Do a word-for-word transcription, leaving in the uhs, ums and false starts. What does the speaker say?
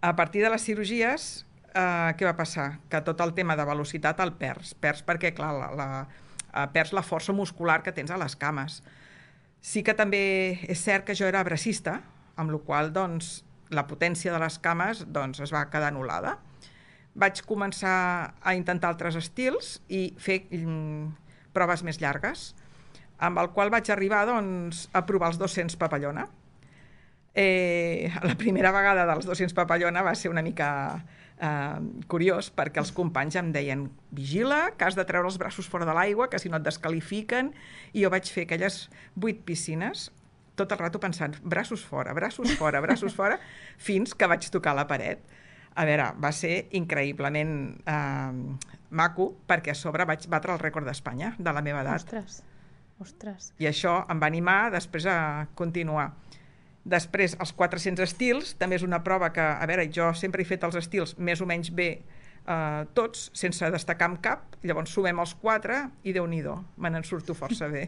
A partir de les cirurgies, eh, què va passar? Que tot el tema de velocitat el perds. Perds perquè, clar, la, la, eh, perds la força muscular que tens a les cames. Sí que també és cert que jo era bracista, amb la qual cosa doncs, la potència de les cames doncs, es va quedar anul·lada. Vaig començar a intentar altres estils i fer mm, proves més llargues, amb el qual vaig arribar doncs, a provar els dos-cents papallona. Eh, la primera vegada dels dos-cents papallona va ser una mica eh, curiós, perquè els companys em deien vigila, que has de treure els braços fora de l'aigua, que si no et descalifiquen, i jo vaig fer aquelles vuit piscines tot el rato pensant, braços fora, braços fora, braços fora, fins que vaig tocar la paret. A veure, va ser increïblement eh, maco, perquè a sobre vaig batre el rècord d'Espanya de la meva edat. Ostres, ostres. I això em va animar després a continuar. Després, els quatre-cents estils, també és una prova que, a veure, jo sempre he fet els estils més o menys bé eh, tots, sense destacar amb cap, llavors sumem els quatre i Déu-n'hi-do, me n'en surto força bé.